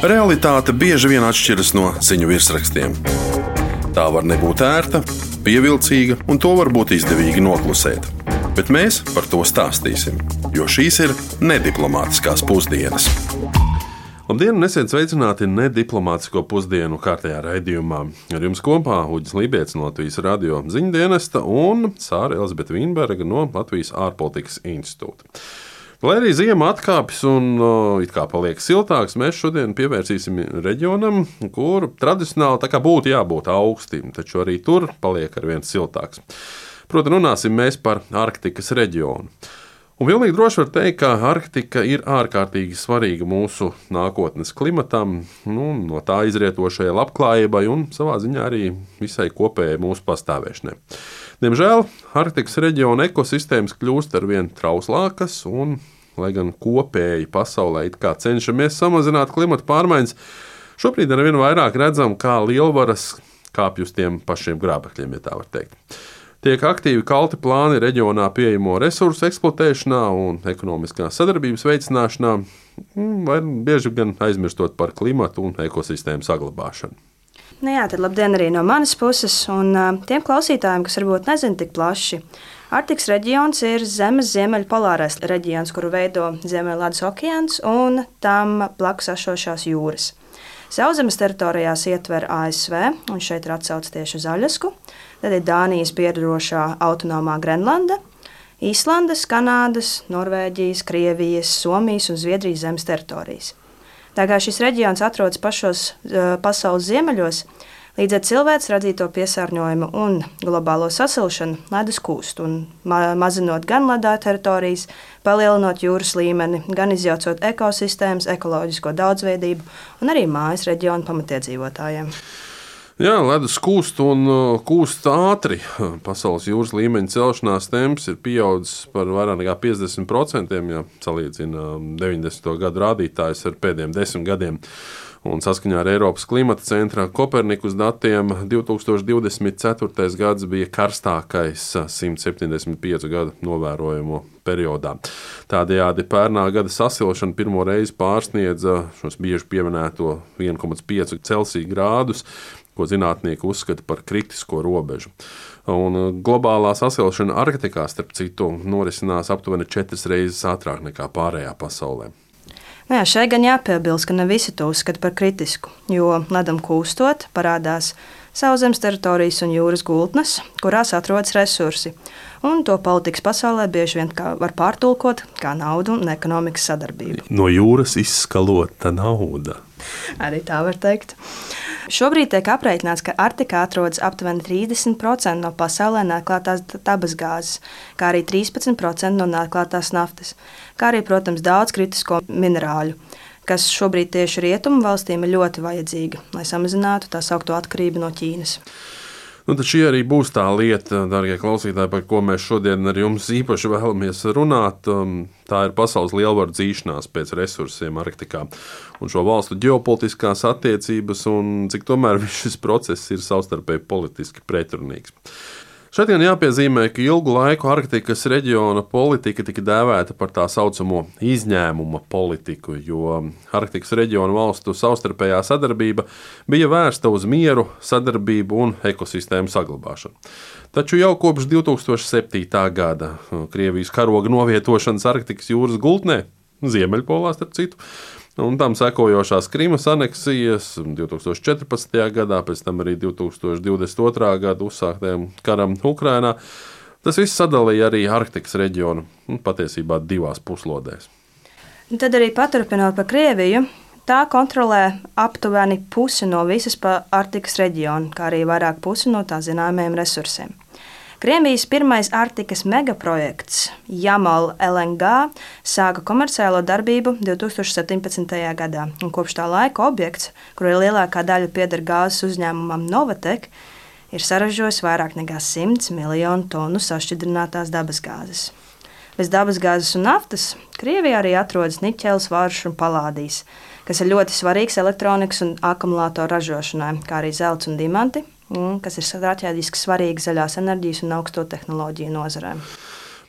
Realitāte bieži vien atšķiras no ziņu virsrakstiem. Tā var nebūt ērta, pievilcīga, un to var būt izdevīgi noklusēt. Bet mēs par to stāstīsim, jo šīs ir nediplomātiskās pusdienas. Labdien, un esiet sveicināti nediplomātisko pusdienu kārtējā raidījumā. Ar jums kopā Uģis Lībijams no Latvijas radio ziņdienesta un Sāra Elzbieta Vīnberga no Latvijas ārpolitikas institūta. Lai arī ziema atkāpjas un it kā paliek siltāks, mēs šodien pievērsīsim reģionam, kur tradicionāli tā kā būtu jābūt augstiem, taču arī tur paliek arvien siltāks. Proti, runāsim mēs par Arktikas reģionu. Un pilnīgi droši var teikt, ka Arktika ir ārkārtīgi svarīga mūsu nākotnes klimatam, no tā izrietošajai labklājībai un savā ziņā arī visai kopējai mūsu pastāvēšanai. Diemžēl Arktikas reģiona ekosistēmas kļūst arvien trauslākas, un, lai gan kopēji pasaulē it kā cenšamies samazināt klimata pārmaiņas, šobrīd arvien vairāk redzam, kā lielvaras kāpj uz tiem pašiem grābekļiem, ja tā var teikt. Tiek aktīvi kalti plāni reģionā pieejamo resursu eksploatēšanā un ekonomiskās sadarbības veicināšanā, vai bieži gan aizmirstot par klimatu un ekosistēmu saglabāšanu. Tad labdien arī no manas puses, un tiem klausītājiem, kas varbūt nezina tik plaši. Arktikas reģions ir Zemes ziemeļpolārais reģions, kuru veido Ziemeļledus okeāns un tam blakus esošās jūras. Sauszemes teritorijās ietver ASV, un šeit ir atsauce tieši uz Aļasku, tad ir Dānijas piedarošā autonomā Grenlanda, Īslandes, Kanādas, Norvēģijas, Krievijas, Somijas un Zviedrijas zemes teritorijas. Tā kā šis reģions atrodas pašos pasaules ziemeļos, līdz ar cilvēces radīto piesārņojumu un globālo sasilšanu ledus kūst, un mazinot gan ledā teritorijas, palielinot jūras līmeni, gan izjaucot ekosistēmas, ekoloģisko daudzveidību un arī mājas reģionu pamatiedzīvotājiem. Jā, ledus kūst un kūst ātri. Pasaules jūras līmeņa celšanās temps ir pieaudzis par vairāk nekā 50%, ja salīdzina 90. gadu rādītājus ar pēdējiem 10 gadiem. Un saskaņā ar Eiropas klimata centra Kopernikus datiem 2024. gads bija karstākais 175 gadu novērojamo periodā. Tādējādi pērnā gada sasilšana pirmo reizi pārsniedza šos bieži pieminēto 1,5 Celsija grādus, ko zinātnieki uzskata par kritisko robežu. Un globālā sasilšana Arktikā, starp citu, norisinās aptuveni 4 reizes ātrāk nekā pārējā pasaulē. Šeit gan jāpiebilst, ka ne visi to uzskata par kritisku, jo ledam kūstot parādās sauszemes teritorijas un jūras gultnes, kurās atrodas resursi, un to politikas pasaulē bieži vien var pārtulkot kā naudu un ekonomikas sadarbību. No jūras izskalota nauda. Arī tā var teikt. Šobrīd tiek aprēķināts, ka Arktikā atrodas aptuveni 30% no pasaulē neatklātās dabasgāzes, kā arī 13% no neatklātās naftas, kā arī, protams, daudz kritisko minerāļu, kas šobrīd tieši rietumu valstīm ir ļoti vajadzīga, lai samazinātu tā saukto atkarību no Ķīnas. Tad šī arī būs tā lieta, darbie klausītāji, par ko mēs šodien ar jums īpaši vēlamies runāt. Tā ir pasaules lielvaru dzīšanās pēc resursiem Arktikā un šo valstu ģeopolitiskās attiecības un cik tomēr šis process ir savstarpēji politiski pretrunīgs. Šeit gan jāpiezīmē, ka ilgu laiku Arktikas reģiona politika tika dēvēta par tā saucamo izņēmuma politiku, jo Arktikas reģiona valstu savstarpējā sadarbība bija vērsta uz mieru, sadarbību un ekosistēmu saglabāšanu. Taču jau kopš 2007. gada Krievijas karoga novietošanas Arktikas jūras gultnē, Ziemeļpolā starp citu, un tam sekojošās Krimas aneksijas 2014. gadā, pēc tam arī 2022. gada uzsāktajam karam Ukrainā. Tas viss sadalīja arī Arktikas reģionu patiesībā divās puslodēs. Tad arī paturpinot par Krieviju, tā kontrolē aptuveni pusi no visas Arktikas reģiona, kā arī vairāk pusi no tā zināmajiem resursiem. Krievijas pirmais Arktikas megaprojekts Jamal LNG sāka komerciālo darbību 2017. gadā, un kopš tā laika objekts, kur lielākā daļa pieder gāzes uzņēmumam Novatek, ir saražojis vairāk nekā 100 miljonu tonu sašķidrinātās dabasgāzes. Bez dabasgāzes un naftas Krievijā arī atrodas niķelis, varš un palādijs, kas ir ļoti svarīgs elektronikas un akumulātoru ražošanai, kā arī zelts un diamanti, kas ir strateģiski svarīgi zaļās enerģijas un augsto tehnoloģiju nozarēm.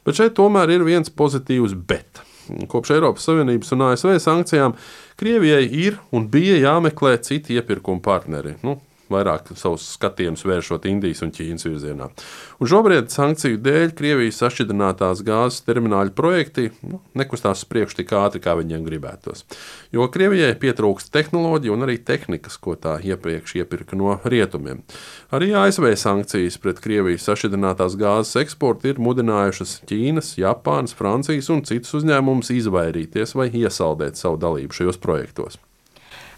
Bet šeit tomēr ir viens pozitīvs bet. Kopš Eiropas Savienības un ASV sankcijām Krievijai ir un bija jāmeklē citi iepirkuma partneri. Vairāk savus skatienus vēršot Indijas un Ķīnas virzienā. Un šobrīd sankciju dēļ Krievijas sašķidrinātās gāzes termināļu projekti nekustās uz priekšu tik ātri, kā viņiem gribētos. Jo Krievijai pietrūkst tehnoloģiju un arī tehnikas, ko tā iepriekš iepirka no rietumiem. Arī ASV sankcijas pret Krievijas sašķidrinātās gāzes eksportu ir mudinājušas Ķīnas, Japānas, Francijas un citus uzņēmumus izvairīties vai iesaldēt savu dalību šajos projektos.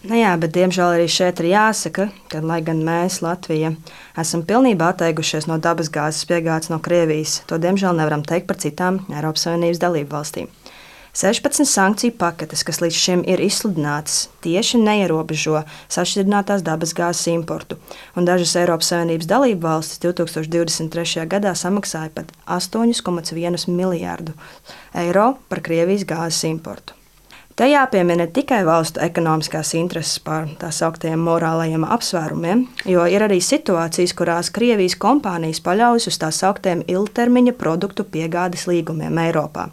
Jā, bet diemžēl arī šeit ir jāsaka, ka, lai gan mēs, Latvija, esam pilnībā atteikušies no dabasgāzes piegādes no Krievijas, to diemžēl nevaram teikt par citām Eiropas Savienības dalību valstīm. 16 sankciju paketes, kas līdz šim ir izsludinātas, tieši neierobežo sašķidrinātās dabasgāzes importu, un dažas Eiropas Savienības dalību valstis 2023. gadā samaksāja pat 8,1 miljārdu eiro par Krievijas gāzes importu. Te jāpiemina ne tikai valstu ekonomiskās intereses par tā sauktiem morālajiem apsvērumiem, jo ir arī situācijas, kurās Krievijas kompānijas paļaujas uz tā sauktiem ilgtermiņa produktu piegādes līgumiem Eiropā,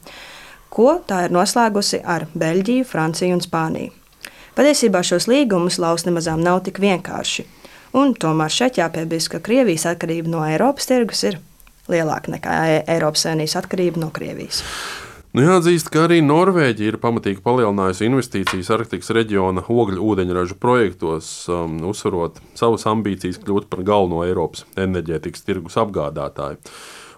ko tā ir noslēgusi ar Beļģiju, Franciju un Spāniju. Patiesībā šos līgumus laust nemazām nav tik vienkārši, un tomēr šeit jāpiebilst, ka Krievijas atkarība no Eiropas tirgus ir lielāka nekā Eiropas Savienības atkarība no Krievijas. Jāatzīst, ka arī Norvēģija ir pamatīgi palielinājusi investīcijas Arktikas reģiona ogļu ūdeņražu projektos, uzsverot savas ambīcijas kļūt par galveno Eiropas enerģētikas tirgus apgādātāju.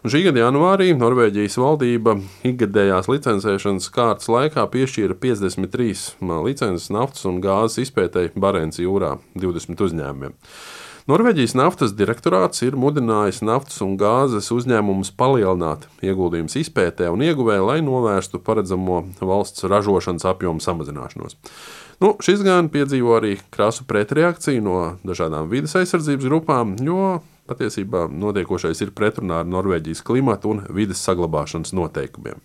Un šī gada janvārī Norvēģijas valdība ikgadējās licencēšanas kārtas laikā piešķīra 53 licences naftas un gāzes izpētēji Barenca jūrā 20 uzņēmumiem. Norvēģijas naftas direktorāts ir mudinājis naftas un gāzes uzņēmumus palielināt ieguldījumus izpētē un ieguvē, lai novērstu paredzamo valsts ražošanas apjomu samazināšanos. Šis gan piedzīvo arī krasu pretreakciju no dažādām vides aizsardzības grupām, jo patiesībā notiekošais ir pretrunā ar Norvēģijas klimatu un vides saglabāšanas noteikumiem.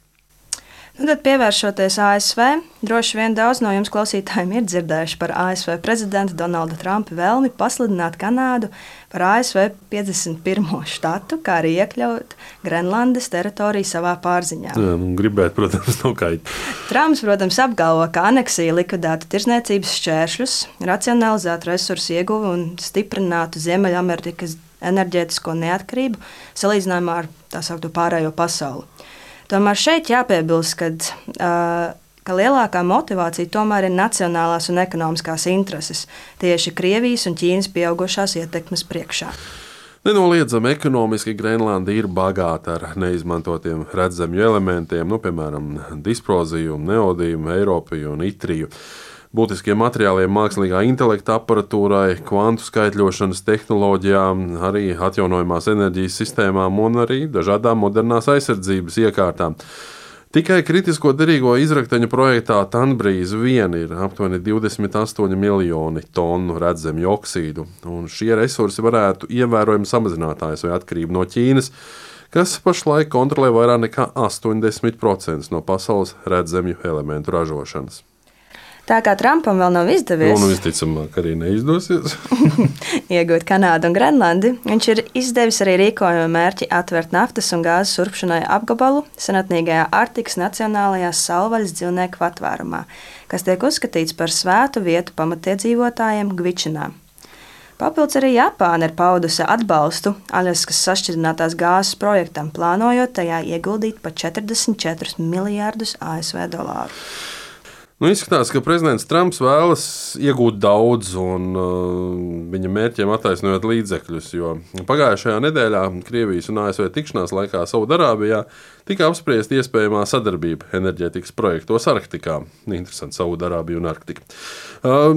Tad pievēršoties ASV, droši vien daudz no jums klausītājiem ir dzirdējuši par ASV prezidenta Donalda Trumpa vēlmi pasludināt Kanādu par ASV 51. štatu, kā arī iekļaut Grenlandes teritoriju savā pārziņā. Gribētu, protams, nav kaitīgi. Trumps, protams, apgalvo, ka aneksija likvidētu tirzniecības šķēršļus, racionalizētu resursu ieguvi un stiprinātu Ziemeļamerikas enerģētisko neatkarību salīdzinājumā ar tā saukto pārējo pasauli. Tomēr šeit jāpiebilst, ka lielākā motivācija tomēr ir nacionālās un ekonomiskās intereses, tieši Krievijas un Ķīnas pieaugušās ietekmes priekšā. Nenoliedzami ekonomiski Grenlanda ir bagāta ar neizmantotiem redzamju elementiem, piemēram, disproziju, neodiju, eiropiju un itriju. Būtiskiem materiāliem mākslīgā intelekta aparatūrai, kvantu skaitļošanas tehnoloģijām, arī atjaunojamās enerģijas sistēmām un arī dažādām modernās aizsardzības iekārtām. Tikai kritisko derīgo izrakteņu projektā Tanbrīz vien ir aptuveni 28 miljoni tonu redzamju oksīdu, un šie resursi varētu ievērojami samazināt ASV atkarību no Ķīnas, kas pašlaik kontrolē vairāk nekā 80% no pasaules redzamju elementu ražošanas. Tā kā Trumpam vēl nav izdevies visticamāk arī neizdosies iegūt Kanādu un Grenlandi, viņš ir izdevis arī rīkojumu mērķi atvērt naftas un gāzes urpšanai apgabalu senatnīgajā Arktikas Nacionālajā savvaļas dzīvnieku patvērumā, kas tiek uzskatīts par svētu vietu pamatiedzīvotājiem Gvičinā. Papildus arī Japāna ir paudusi atbalstu Aļaskas sašķidrinātās gāzes projektam, plānojot tajā ieguldīt pat 44 miljārdus ASV dolāru. Izskatās, ka prezidents Trumps vēlas iegūt daudz un viņa mērķiem attaisnojot līdzekļus, jo pagājušajā nedēļā Krievijas un ASV tikšanās laikā Saudarābijā tika apspriesta iespējamā sadarbība enerģētikas projektos Arktikā. Interesanti, Saudarābija un Arktika.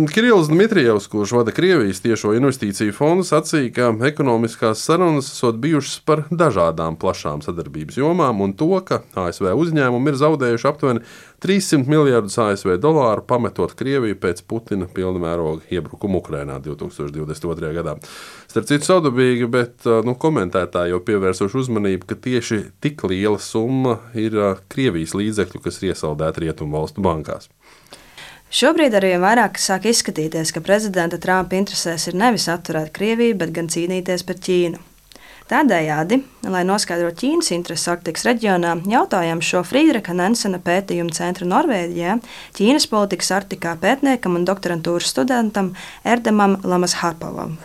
Kirills Dmitrijevs, kurš vada Krievijas tiešo investīciju fondu, sacīja, ka ekonomiskās sarunas esot bijušas par dažādām plašām sadarbības jomām un to, ka ASV uzņēmumi ir zaudējuši aptuveni 300 miljardus ASV dolāru, pametot Krieviju pēc Putina pilnmēroga iebrukuma Ukrainā 2022. gadā. Starp citu savdabīgi, bet komentētāji jau pievērsuši uzmanību, ka tieši tik liela summa ir Krievijas līdzekļu, kas ir iesaldēti rietumu valstu bankās. Šobrīd arī vairāk sāk izskatīties, ka prezidenta Trumpa interesēs ir nevis atturēt Krieviju, bet gan cīnīties par Ķīnu. Tādējādi, lai noskaidrotu Ķīnas intereses Arktikas reģionā, jautājām šo Friedricha Nensena pētījumu centra Norvēģijā Ķīnas politikas Arktikā pētniekam un doktorantūras studentam Erdemam Lamasharpovam.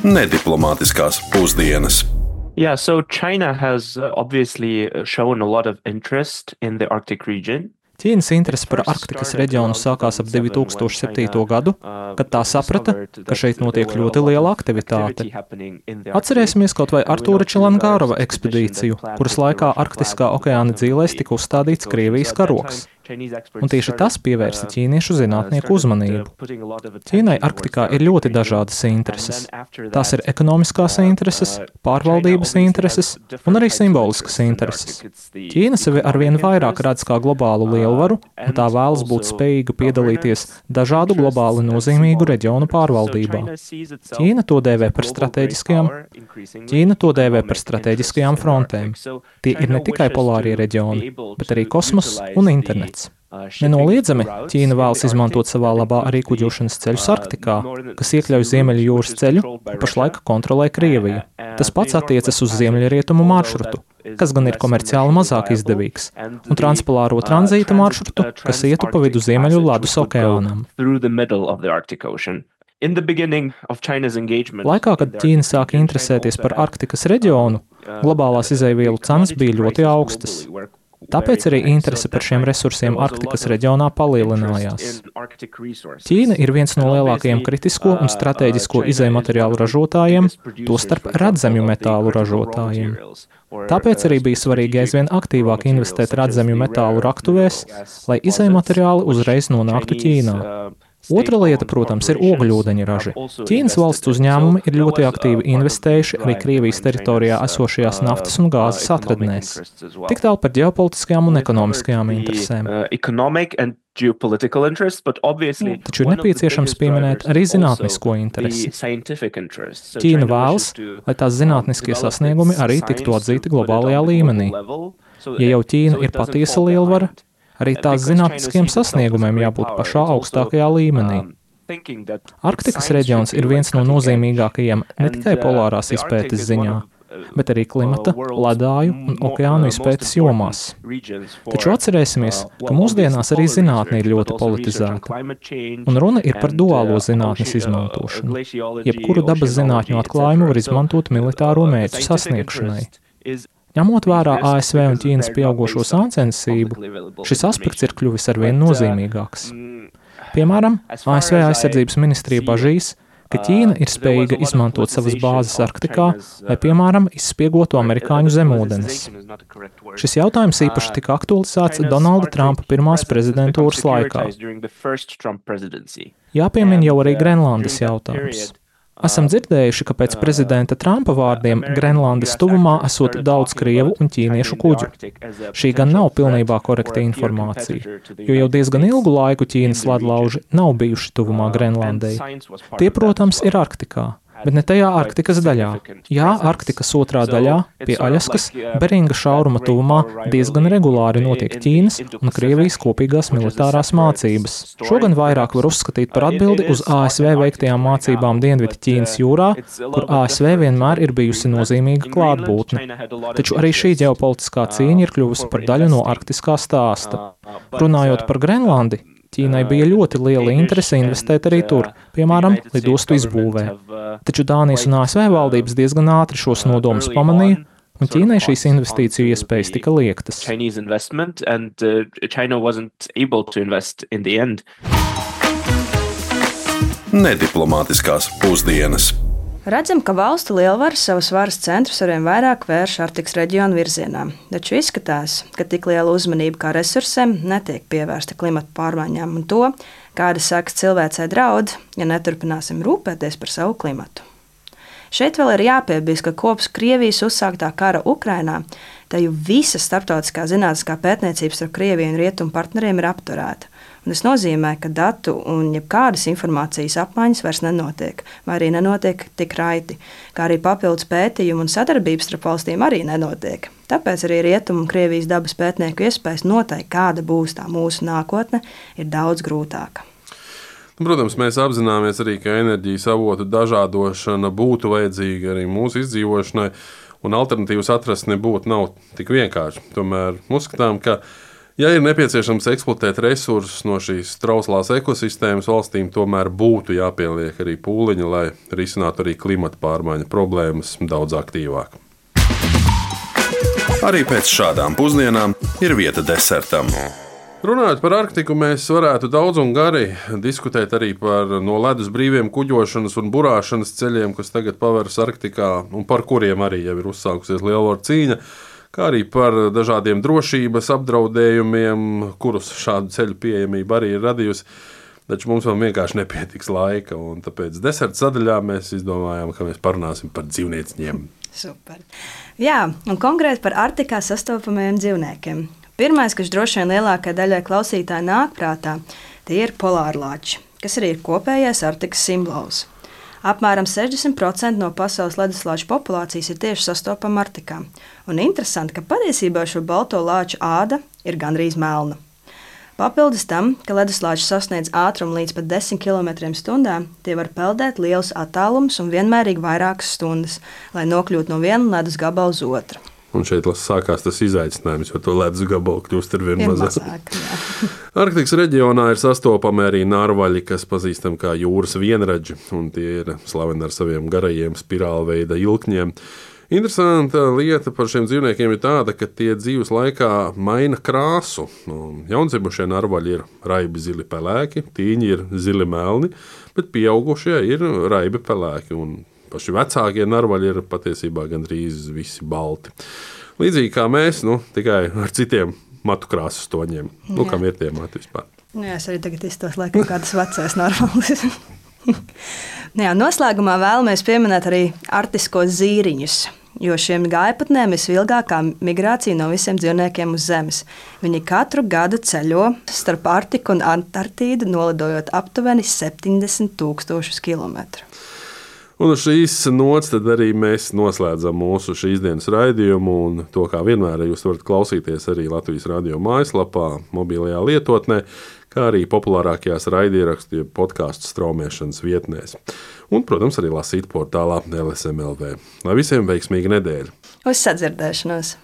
Nediplomātiskās pusdienas. Yeah, so China has obviously shown a lot of interest in the Arctic region. Ķīnas interese par Arktikas reģionu sākās ap 2007. gadu, kad tā saprata, ka šeit notiek ļoti liela aktivitāte. Atcerēsimies kaut vai Artūra Čelangārova ekspedīciju, kuras laikā Arktiskā okeāna dzīlēs tika uzstādīts Krievijas karoks. Un tieši tas pievērsa ķīniešu zinātnieku uzmanību. Ķīnai Arktikā ir ļoti dažādas intereses. Tās ir ekonomiskās intereses, pārvaldības intereses un arī simboliskas intereses. Ķīna sevi arvien vairāk redz kā globālu lielvaru, un tā vēlas būt spējīga piedalīties dažādu globāli nozīmīgu reģionu pārvaldībā. Ķīna to dēvē par strateģiskajām frontēm. Tie ir ne tikai polārie reģioni, bet arī kosmoss un internets. Nenoliedzami, Ķīna vēlas izmantot savā labā arī kuģošanas ceļus Arktikā, kas iekļauj Ziemeļu jūras ceļu, pašlaik kontrolē Krievija. Tas pats attiecas uz ziemeļrietumu maršrutu, kas gan ir komerciāli mazāk izdevīgs, un transpolāro tranzīta maršrutu, kas ietu pa vidu Ziemeļu ledus okeānam. Laikā, kad Ķīna sāka interesēties par Arktikas reģionu, globālās izejvielu cenas bija ļoti augstas. Tāpēc arī interese par šiem resursiem Arktikas reģionā palielinājās. Ķīna ir viens no lielākajiem kritisko un stratēģisko izejmateriālu ražotājiem, tostarp redzamju metālu ražotājiem. Tāpēc arī bija svarīgi aizvien aktīvāk investēt redzamju metālu raktuvēs, lai izejmateriāli uzreiz nonāktu Ķīnā. Otra lieta, protams, ir ogļūdeņa raži. Ķīnas valsts uzņēmumi ir ļoti aktīvi investējuši arī Krievijas teritorijā esošajās naftas un gāzes atradnēs. Tik tālu par ģeopolitiskajām un ekonomiskajām interesēm. Taču ir nepieciešams pieminēt arī zinātnisko interesi. Ķīna vēlas, lai tās zinātniskie sasniegumi arī tiktu atzīti globālajā līmenī. Ja jau Ķīna ir patiesa lielvara, arī tās zinātniskiem sasniegumiem jābūt pašā augstākajā līmenī. Arktikas reģions ir viens no nozīmīgākajiem ne tikai polārās izpētes ziņā, bet arī klimata, ledāju un okeānu izpētes jomās. Taču atcerēsimies, ka mūsdienās arī zinātne ir ļoti politizēta, un runa ir par duālo zinātnes izmantošanu. Jebkuru dabas zinātņu atklājumu var izmantot militāro mērķu sasniegšanai. Ņemot vērā ASV un Ķīnas pieaugošo sāncensību, šis aspekts ir kļuvis arvien nozīmīgāks. Piemēram, ASV aizsardzības ministrija bažīs, ka Ķīna ir spējīga izmantot savas bāzes Arktikā, lai, piemēram, izspiegotu amerikāņu zemūdenes. Šis jautājums īpaši tika aktualizēts Donalda Trumpa pirmās prezidentūras laikā. Jāpiemin jau arī Grenlandes jautājums. Esam dzirdējuši, ka pēc prezidenta Trumpa vārdiem Grenlandes tuvumā esot daudz krievu un ķīniešu kuģu. Šī gan nav pilnībā korekta informācija, jo jau diezgan ilgu laiku Ķīnas ledlauži nav bijuši tuvumā Grenlandei. Tie, protams, ir Arktikā, bet ne tajā Arktikas daļā. Jā, Arktikas otrā daļā, pie Aļaskas, Beringa šauruma tuvumā diezgan regulāri notiek Ķīnas un Krievijas kopīgās militārās mācības. Šo gan vairāk var uzskatīt par atbildi uz ASV veiktajām mācībām Dienvidu Ķīnas jūrā, kur ASV vienmēr ir bijusi nozīmīga klātbūtne. Taču arī šī ģeopolitiskā cīņa ir kļuvusi par daļu no arktiskā stāsta. Runājot par Grenlandi, Ķīnai bija ļoti liela interese investēt arī tur, piemēram, lidostu izbūvē. Taču Dānijas un ASV valdības diezgan ātri šos nodomus pamanīja, un Ķīnai šīs investīciju iespējas tika liektas. Nediplomātiskās pusdienas. Redzam, ka valstu lielvaras savus varas centrus arvien vairāk vērš Arktikas reģionu virzienā, taču izskatās, ka tik liela uzmanība kā resursiem netiek pievērsta klimata pārmaiņām un to, kāda sekas cilvēcei draud, ja neturpināsim rūpēties par savu klimatu. Šeit vēl ir jāpiebilst, ka kopš Krievijas uzsāktā kara Ukrainā, tā jau visa starptautiskā zinātniskā pētniecība starp Krieviju un rietumu partneriem ir apturēta. Un tas nozīmē, ka datu un jebkādas informācijas apmaiņas vairs nenotiek, vai arī nenotiek tik raiti, kā arī papildus pētījumu un sadarbības starp valstīm arī nenotiek. Tāpēc arī rietumu un Krievijas dabas pētnieku iespējas noteikt, kāda būs tā mūsu nākotne, ir daudz grūtāka. Protams, mēs apzināmies arī, ka enerģijas avotu dažādošana būtu vajadzīga arī mūsu izdzīvošanai, un alternatīvas atrast nav tik vienkārši. Tomēr uzskatām, ka, ja ir nepieciešams eksploatēt resursus no šīs trauslās ekosistēmas, valstīm tomēr būtu jāpieliek arī pūliņi, lai risinātu arī klimata pārmaiņu problēmas daudz aktīvāk. Arī pēc šādām pusdienām ir vieta desertam. Runājot par Arktiku, mēs varētu daudz un gari diskutēt arī par no ledus brīviem kuģošanas un burāšanas ceļiem, kas tagad paveras Arktikā un par kuriem arī jau ir uzsākusies lielvaru cīņa, kā arī par dažādiem drošības apdraudējumiem, kurus šādu ceļu pieejamība arī ir radījusi. Taču mums vēl vienkārši nepietiks laika, un tāpēc deserta sadaļā mēs izdomājām, ka mēs parunāsim par dzīvnieciņiem. Super. Jā, un konkrēti par Arktikā sastopamajiem dzīvniekiem. Pirmais, kas droši vien lielākajai daļai klausītāji nāk prātā, tie ir polārlāči, kas arī ir kopējais Arktikas simbols. Apmēram 60% no pasaules leduslāču populācijas ir tieši sastopama Arktikā. Un interesanti, ka patiesībā šo balto lāču āda ir gandrīz melna. Papildus tam, ka leduslāči sasniedz ātrumu līdz pat 10 km/h, tie var peldēt lielus attālumus un vienmērīgi vairākas stundas, lai nokļūtu no viena ledus gabala uz otru. Un šeit sākās tas izaicinājums, jo to ledus gabalu kļūst ar vien mazāk. Arktikas reģionā ir sastopami arī narvaļi, kas pazīstami kā jūras vienradži, un tie ir slaveni ar saviem garajiem spirālveida ilkņiem. Interesanta lieta par šiem dzīvniekiem ir tāda, ka tie dzīves laikā maina krāsu. Jaundzimušie narvaļi ir raibi zili pelēki, tīņi ir zili melni, bet pieaugušie ir raibi pelēki, un paši vecākie narvaļi ir patiesībā gandrīz visi balti. Līdzīgi kā mēs, tikai ar citiem matu krāsas toņiem. Kam ir tie mati vispār? Jā, es arī tagad iztos laikam kādas vecais narvalis. Jā, noslēgumā vēlamies pieminēt arī arktiskos zīriņus, jo šiem gājputniem ir visvilgākā migrācija no visiem dzīvniekiem uz Zemes. Viņi katru gadu ceļo starp Arktiku un Antarktīdu, nolidojot aptuveni 70,000 kilometru. Un uz šīs nots tad arī mēs noslēdzam mūsu šīs dienas raidījumu, un to, kā vienmēr, jūs varat klausīties arī Latvijas radio mājaslapā, mobilajā lietotnē, kā arī populārākajās raidierakstu podcastu straumēšanas vietnēs. Un, protams, arī lasīt portālā LSM.lv. Lai visiem veiksmīga nedēļa! Uz sadzirdēšanos!